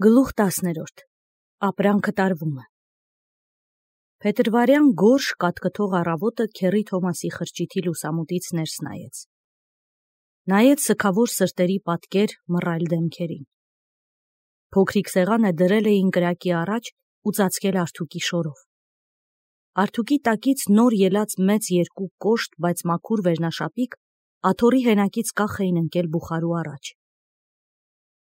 Գլուխ 10-րդ Ապրանքը տարվում է։ Փետրվարյան գորշ կատկթող առավոտը քեռի Թոմասի խրճիթի լուսամուտից ներս նայեց։ Նայեց սգավոր սրտերի պատկեր մռայլ դեմքերին։ Փոքրիկ սեղանը դրել էին կրակի առաջ ու ծածկել արթուկի շորով։ Արթուկի տակից նոր ելած մեծ երկու կոշտ, բայց մաքուր վերնաշապիկ աթոռի հենակից կախ էին ընկել բուխարու առաջ։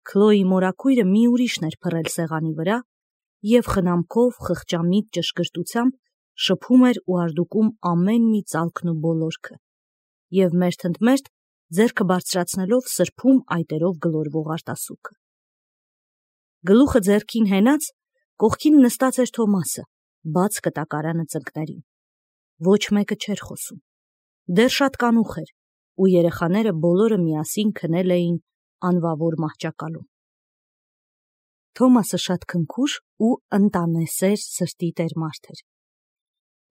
Քլոյի մորաքույրը մի ուրիշն էր փռել սեղանի վրա և խնամքով, խղճամիտ ճշգրտությամբ շփում էր ու արդուկում ամեն մի ծալքն ու բոլորքը և մերթընդմերթ ձեռքը բարձրացնելով սրբում այտերով գլորվող արտասուքը։ Գլուխը ձեռքին հենած, կողքին նստած էր Թոմասը, բաց կտակարանը ծնկներին։ Ոչ մեկը չէր խոսում։ Դեռ շատ կանուխ էր, ու երեխաները բոլորը միասին քնել էին անվավոր մահճակալում։ Թոմասը շատ քնքուշ ու ընտանեսեր սրտի տեր մարդ էր։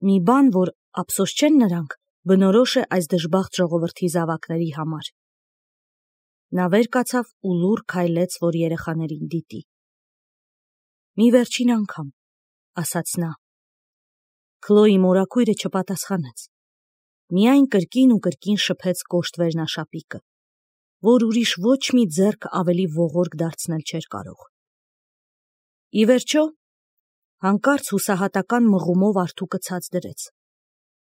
Մի բան, որ ափսոս չեն նրանք, բնորոշ է այս դժբախտ ժողովրդի զավակների համար։ Նա վեր կացավ ու լուռ քայլեց, որ երեխաներին դիտի։ Մի վերջին անգամ, ասաց նա։ Քլոյի մորաքույրը չպատասխանեց։ Միայն կրկին ու կրկին շփեց կոշտ վերնաշապիկը, որ ուրիշ ոչ մի ձեռք ավելի ողորկ դարձնել չէր կարող։ Ի վերջո, հանկարծ հուսահատական մղումով արթուկը ցած դրեց,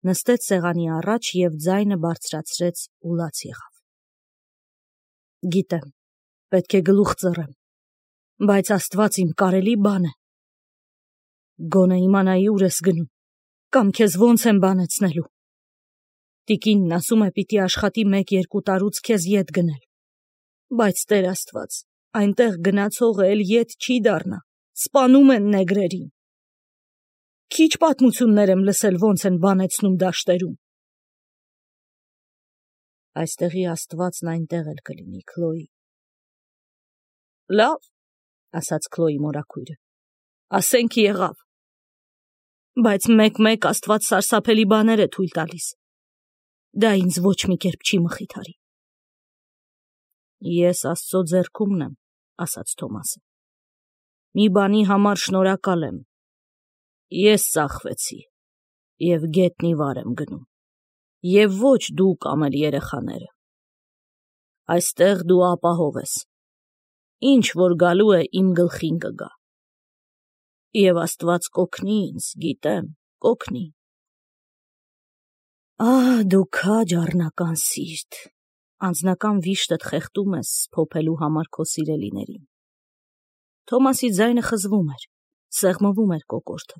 նստեց սեղանի առաջ և ձայնը բարձրացրեց ու լաց եղավ։ Գիտեմ, պետք է գլուխ ծռեմ, բայց Աստված իմ կարելի բան է։ Գոնե իմանայի ուր ես գնում, կամ քեզ ոնց եմ բանեցնելու։ Տիկինն ասում է պիտի աշխատի 1-2 տարուց քեզ ետ գնել, բայց Տեր Աստված, այնտեղ գնացողը էլ ետ չի դառնա, սպանում են նեգրերին։ Քիչ պատմություններ եմ լսել, ոնց են բանեցնում դաշտերում։ Այստեղի Աստվածն այնտեղ էլ կլինի, Քլոյի։ Լավ, ասաց Քլոյի մորաքույրը, ասենք եղավ, բայց մեկ-մեկ Աստված սարսափելի բաներ է թույլ տալիս։ Դա ինձ ոչ մի կերպ չի մխիթարի։ Ես Աստծո ձեռքումն եմ, ասաց Թոմասը։ Մի բանի համար շնորհակալ եմ։ Ես ծախվեցի և գետնի վար եմ գնում, և ոչ դու կամ էլ երեխաները։ Այստեղ դու ապահով ես։ Ինչ որ գալու է, իմ գլխին կգա։ Եվ Աստված կօգնի ինձ, գիտեմ, կօգնի։ Ահ, դու քաջ առնական սիրտ, անձնական վիշտդ խեղդում ես փոփելու համար քո սիրելիներին։ Թոմասի ձայնը խզվում էր, սեղմվում էր կոկորդը,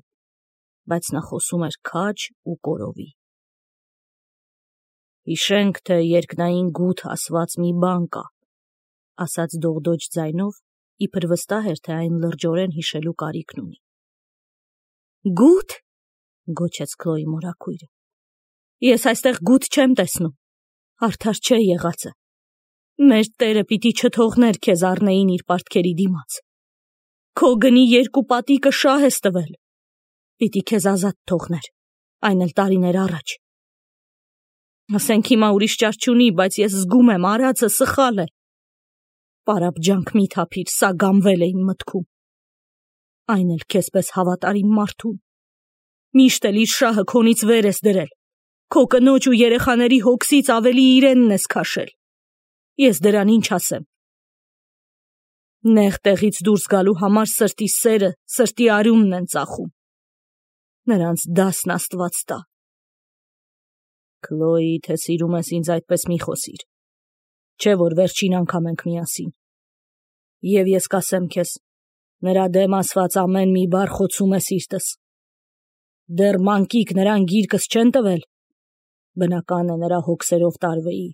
բայց նա խոսում էր քաջ ու կորովի։ Հիշենք, թե երկնային գութ ասված մի բան կա, ասաց դողդոջ ձայնով, իբր վստահ էր, թե այն լրջորեն հիշելու կարիքն ունի։ Գութ, գոչեց Քլոյի մորաքույրը։ Ես այստեղ գութ չեմ տեսնում, արդար չէ եղածը։ Մեր Տերը պիտի չթողներ քեզ առնեին իր պարտքերի դիմաց։ Քո գնի 2 պատիկը շահ ես տվել, պիտի քեզ ազատ թողներ, այն էլ տարիներ առաջ։ Ասենք հիմա ուրիշ ճար չունի, բայց ես զգում եմ արածը սխալ է։ Պարապ ջանք մի թափիր, սա գամվել է իմ մտքում։ Այն էլ քեզպես հավատարիմ մարդուն։ Միշտ էլ իր շահը քոնից վեր ես դրել, քո կնոջ ու երեխաների հոգսից ավելի իրենն ես քաշել։ Ես դրան ինչ ասեմ։ Նեղ տեղից դուրս գալու համար սրտի սերը, սրտի արյունն են ծախում։ Նրանց դասն Աստված տա։ Քլոյի, թե սիրում ես ինձ այդպես մի խոսիր, չէ որ վերջին անգամ ենք միասին։ Եվ ես կասեմ քեզ, նրա դեմ ասված ամեն մի բառ խոցում է սիրտս։ Դեռ մանկիկ նրան գիրկս չեն տվել, բնական է նրա հոգսերով տարվեի։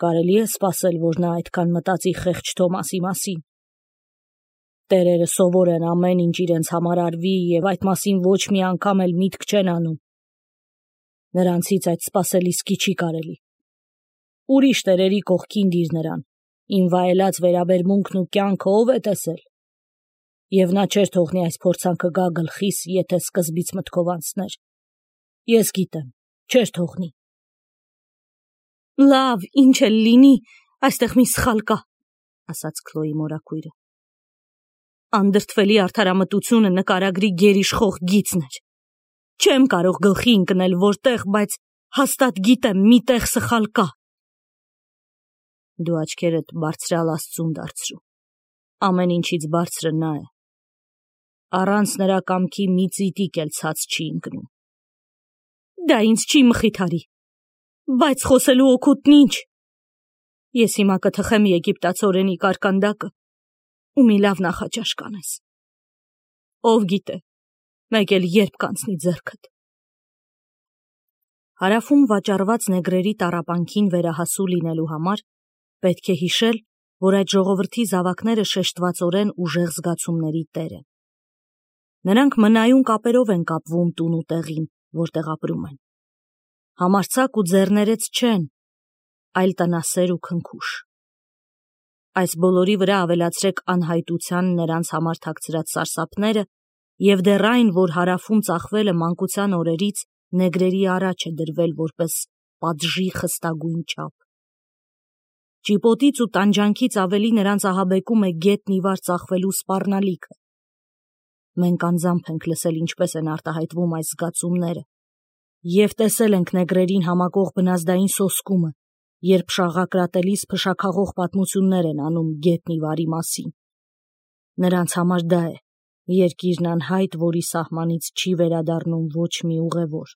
Կարելի է սպասել, որ նա այդքան մտածի խեղճ Թոմասի մասին։ Տերերը սովոր են ամեն ինչ իրենց համար արվի և այդ մասին ոչ մի անգամ էլ միտք չեն անում։ Նրանցից այդ սպասելիսկի չի կարելի։ Ուրիշ տերերի կողքին դիր նրան, իմ վայելած վերաբերմունքն ու կյանքը ով է տեսել։ Եվ նա չէր թողնի այս փորձանքը գա գլխիս, եթե սկզբից մտքով անցներ։ Ես գիտեմ, չէր թողնի։ Լավ, ինչ էլ լինի, այստեղ մի սխալ կա, ասաց Քլոյի մորաքույրը։ Անդրդվելի արդարամտությունը նկարագրի գերիշխող գիծն էր։ Չեմ կարող գլխի ընկնել որտեղ, բայց հաստատ գիտեմ մի տեղ սխալ կա։ Դու աչքերդ բարձրալ Աստծուն դարձրու։ Ամեն ինչից բարձրը նա է։ Առանց նրա կամքի մի ծիտիկ էլ ցած չի ընկնում։ Դա ինձ չի մխիթարի, բայց խոսելու օգուտն ինչ։ Ես հիմա կթխեմ եգիպտացորենի կարկանդակը ու մի լավ նախաճաշ կանես։ Ով գիտե, մեկ էլ երբ կանցնի ձեռքդ։ Հարավում վաճառված նեգրերի տառապանքին վերահասու լինելու համար պետք է հիշել, որ այդ ժողովրդի զավակները շեշտվածորեն ուժեղ զգացումների տեր են։ Նրանք մնայուն կապերով են կապվում տուն ու տեղին, որտեղ ապրում են։ Համարձակ ու ձեռներեց չեն, այլ տնասեր ու քնքուշ։ Այս բոլորի վրա ավելացրեք անհայտության նրանց համար թաքցրած սարսափները և դեռ այն, որ հարավում ծախվելը մանկության օրերից նեգրերի առաջ է դրվել որպես պատժի խստագույն չափ։ Ճիպոտից ու տանջանքից ավելի նրանց ահաբեկում է գետնի վար ծախվելու սպառնալիքը։ Մենք անձամբ ենք լսել ինչպես են արտահայտվում այս զգացումները և տեսել ենք նեգրերին համակող բնազդային սոսկումը, երբ շաղակրատելիս փշաքաղող պատմություններ են անում գետնի վարի մասին։ Նրանց համար դա է երկիրն անհայտ, որի սահմանից չի վերադառնում ոչ մի ուղևոր։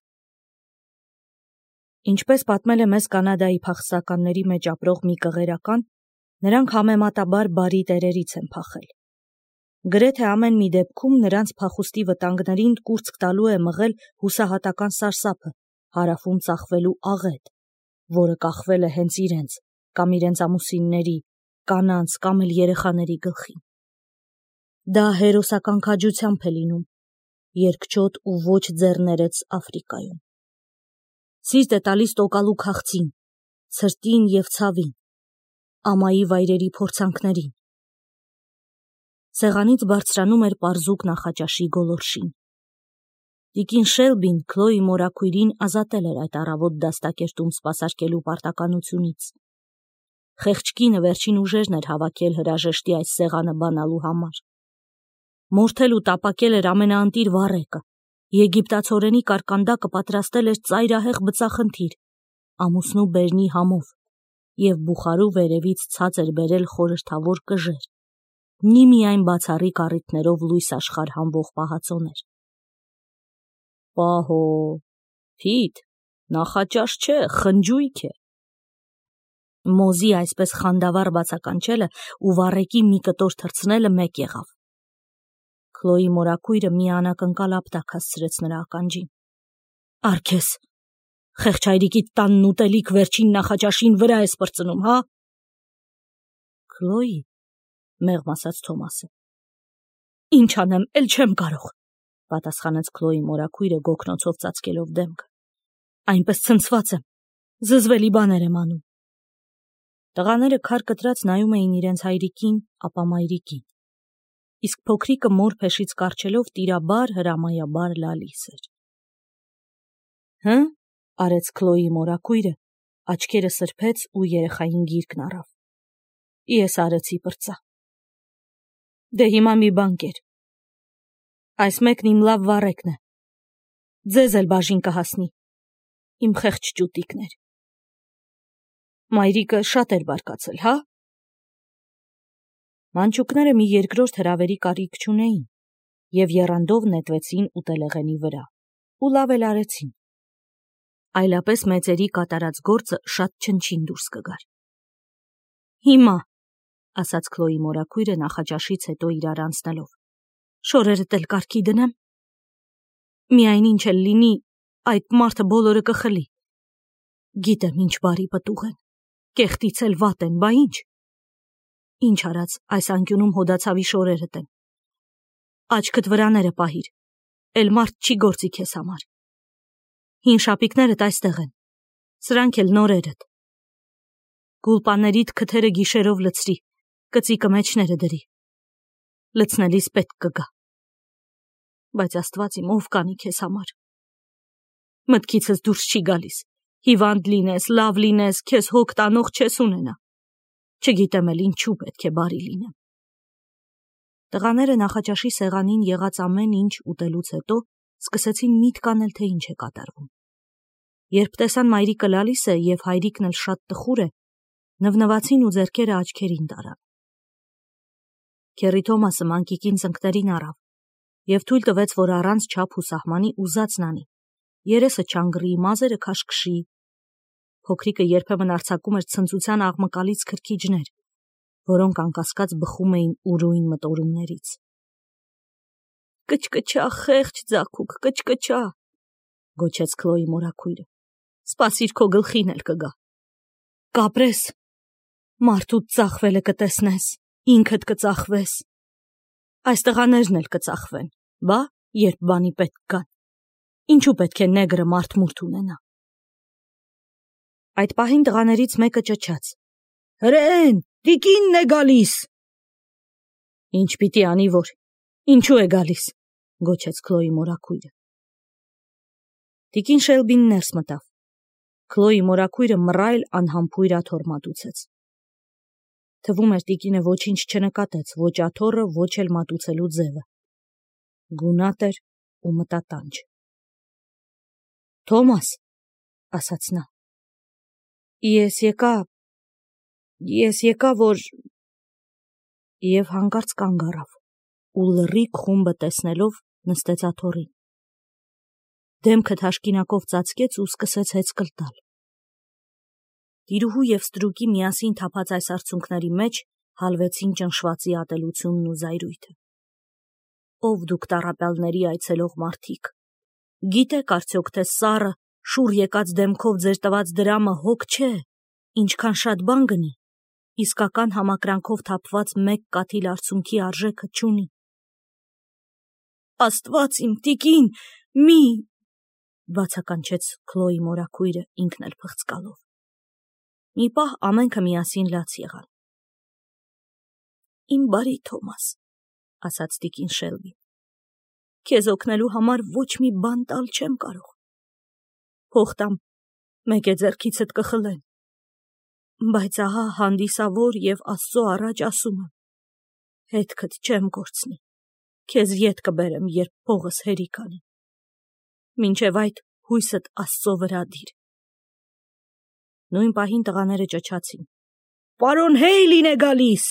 Ինչպես պատմել է մեզ Կանադայի փախստականների մեջ ապրող մի կղերական, նրանք համեմատաբար բարի տերերից են փախել։ Գրեթե ամեն մի դեպքում նրանց փախուստի վտանգներին կուրծք տալու է մղել հուսահատական սարսափը, հարավում ծախվելու աղետ, որը կախվել է հենց իրենց կամ իրենց ամուսինների, կանանց կամ էլ երեխաների գլխին։ Դա հերոսական քաջությամբ է լինում, երկչոտ ու ոչ ձեռներեց Աֆրիկայում։ Սիրտ է տալիս տոկալու քաղցին, ցրտին և ցավին, ամայի վայրերի փորձանքներին։ Սեղանից բարձրանում էր պարզուկ նախաճաշի գոլորշին։ Տիկին Շելբին Քլոյի մորաքույրին ազատել էր այդ առավոտ դաստակերտում սպասարկելու պարտականությունից։ Խեղճ կինը վերջին ուժերն էր հավաքել հրաժեշտի այս սեղանը բանալու համար։ Մորթել ու տապակել էր ամենաընտիր վառեկը, եգիպտացորենի կարկանդակը պատրաստել էր ծայրահեղ բծախնդիր, ամուսնու բերնի համով, և բուխարու վերևից ցած էր բերել խորհրդավոր կժեր, միմիայն բացառիկ առիթներով լույս աշխարհ հանվող պահածոներ։ Պահո, Փիտ, նախաճաշ չէ, խնջույք է։ Մոզի այսպես խանդավառ բացականչելը ու վառեկի մի կտոր թռցնելը մեկ եղավ։ Քլոյի մորաքույրը մի անակնկալ ապտակ հասցրեց նրա ականջին։ Արքես, խեղճ հայրիկիդ տանն ուտելիք վերջին նախաճաշին վրա ես պրծնում, հա։ Քլոյի, մեղմ ասաց Թոմասը։ Ինչ անեմ, էլ չեմ կարող, պատասխանեց Քլոյի մորաքույրը գոգնոցով ծածկելով դեմքը։ Այնպես ցնցված եմ, զզվելի բաներ եմ անում։ Տղաները քար կտրած նայում էին իրենց հայրիկին, ապա մայրիկին, իսկ փոքրիկը մոր փեշից կառչելով տիրաբար հրամայաբար լալիս էր։ Հը, արեց Քլոյի մորաքույրը, աչքերը սրբեց ու երեխային գիրկն առավ։ Ես արեցի պրծա։ Դե հիմա մի բան կեր։ Այս մեկն իմ լավ վառեկն է։ Ձեզ էլ բաժին կհասնի։ Իմ խեղճ ճուտիկներ։ Մայրիկը շատ էր բարկացել, հա։ Մանչուկները մի երկրորդ հրավերի կարիք չունեին և եռանդով նետվեցին ուտելեղենի վրա ու լավ էլ արեցին։ Այլապես մեծերի կատարած գործը շատ չնչին դուրս կգար։ Հիմա, ասաց Քլոյի մորաքույրը նախաճաշից հետո իրար անցնելով, շորերդ էլ կարգի դնեմ։ Միայն ինչ էլ լինի, այդ մարդը բոլորը կխլի։ Գիտեմ ինչ բարի պտուղ են, կեղտից էլ վատ են, բա ինչ։ Ինչ արած այս անկյունում հոդացավի շորերդ են։ Աչքդ վրաները պահիր, էլ մարդ չի գործի քեզ համար։ Հին շապիկներդ այստեղ են, սրանք էլ նորերդ։ Գուլպաներիդ քթերը գիշերով լցրի, կծիկը մեջները դրի։ Լցնելիս պետք կգա։ Բայց Աստված իմ ով կանի քեզ համար։ Մտքիցս դուրս չի գալիս, հիվանդ լինես, լավ լինես, քեզ հոգ տանող չես ունենա։ Չգիտեմ էլ ինչու պետք է բարի լինեմ։ Տղաները նախաճաշի սեղանին եղած ամեն ինչ ուտելուց հետո սկսեցին միտք անել, թե ինչ է կատարվում։ Երբ տեսան մայրիկը լալիս է եւ հայրիկն էլ շատ տխուր է, նվնվացին ու ձեռքերը աչքերին տարան։ Քերի Թոմասը մանկիկին ծնկներին առավ եւ թույլ տվեց, որ առանց չափ ու սահմանի ուզածն անի, երեսը չանգռի, մազերը քաշքշի։ Փոքրիկը երբեմն արձակում էր ցնծության աղմկալից քրքիջներ, որոնք անկասկած բխում էին ուրույն մտորումներից։ Կչկչա, խեղճ ձագուկ, կչկչա, գոչեց Քլոյի մորաքույրը։ Սպասիր, քո գլխին էլ կգա։ Կապրես, մարդուց ծախվելը կտեսնես, ինքդ կծախվես։ Այս տղաներն էլ կծախվեն, բա, երբ բանի պետք կան։ Ինչու պետք է նեգրը մարդ-մուրդ ունենա։ Այդ պահին տղաներից մեկը ճչաց. Հրեն, տիկինն է գալիս։ Ինչ պիտի անի, որ, ինչու է գալիս, գոչեց Քլոյի մորաքույրը։ Տիկին Շելբին ներս մտավ։ Քլոյի մորաքույրը մռայլ անհամբույր աթոռ մատուցեց։ Թվում էր տիկինը ոչինչ չնկատեց, ոչ աթոռը, ոչ էլ մատուցելու ձևը։ Գունատ էր ու մտատանջ։ Թոմաս, ասաց նա, ես եկա, որ… Եվ հանկարծ կանգ առավ ու լռիկ խումբը տեսնելով նստեց աթոռին։ Դեմքը թաշկինակով ծածկեց ու սկսեց հեծկլ տալ։ Տիրուհու և ստրուկի միասին թափած այս արցունքների մեջ հալվեցին ճնշվածի ատելությունն ու զայրույթը։ Ով դուք տառապյալների այցելող մարդիկ, գիտեք արդյոք, թե սառը, շուռ եկած դեմքով ձեր տված դրամը հոգ չէ, ինչքան շատ բան գնի, իսկական համակրանքով թափված մեկ կաթիլ արցունքի արժեքը չունի։ Աստված իմ, տիկին, մի… բացականչեց Քլոյի մորաքույրը ինքն էլ փղծկալով։ Մի պահ ամենքը միասին լաց եղան։ Իմ բարի Թոմաս, ասաց տիկին Շելբին, քեզ օգնելու համար ոչ մի բան տալ չեմ կարող։ Փող տամ, մեկ է ձեռքիցդ կխլեմ, բայց ահա հանդիսավոր և Աստծո առաջ ասում եմ, հետքդ չեմ կորցնի, քեզ ետ կբերեմ, երբ փողս հերիք անի, մինչև այդ հույսդ Աստծո վրա դիր։ Նույն պահին տղաները ճչացին. Պարոն Հեյլին է գալիս։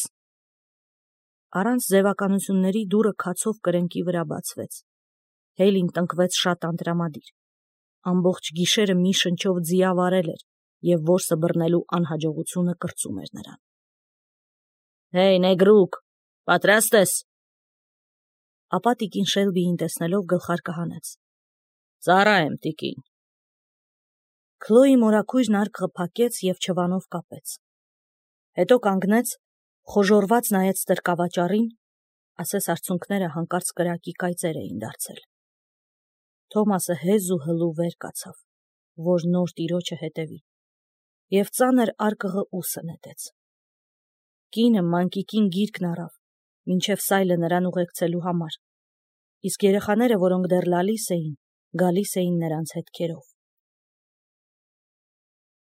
Առանց ձևականությունների դուռը քացով կրենկի վրա բացվեց։ Հեյլին տնկվեց շատ անտրամադիր։ Ամբողջ գիշերը մի շնչով ձիավարել էր և որսը բռնելու անհաջողությունը կրծում էր նրան։ Հեյ, նեգրուկ, պատրաստ ես։ Ապա տիկին Շելբիին տեսնելով գլխարկը հանեց։ Ծառա եմ, տիկին։ Քլոյի մորաքույրն արկղը փակեց և չվանով կապեց։ Հետո կանգնեց, խոժոռված նայեց տրկավաճառին, ասես արցունքները հանկարծ կրակի կայծեր էին դարձել։ Թոմասը հեզ ու հլու վեր կացավ, որ նոր տիրոջը հետևի, և ծանր արկղը ուսը նետեց։ Կինը մանկիկին գիրկն առավ, մինչև սայլը նրան ուղեկցելու համար, իսկ երեխաները, որոնք դեռ լալիս էին, գալիս էին նրանց հետքերով։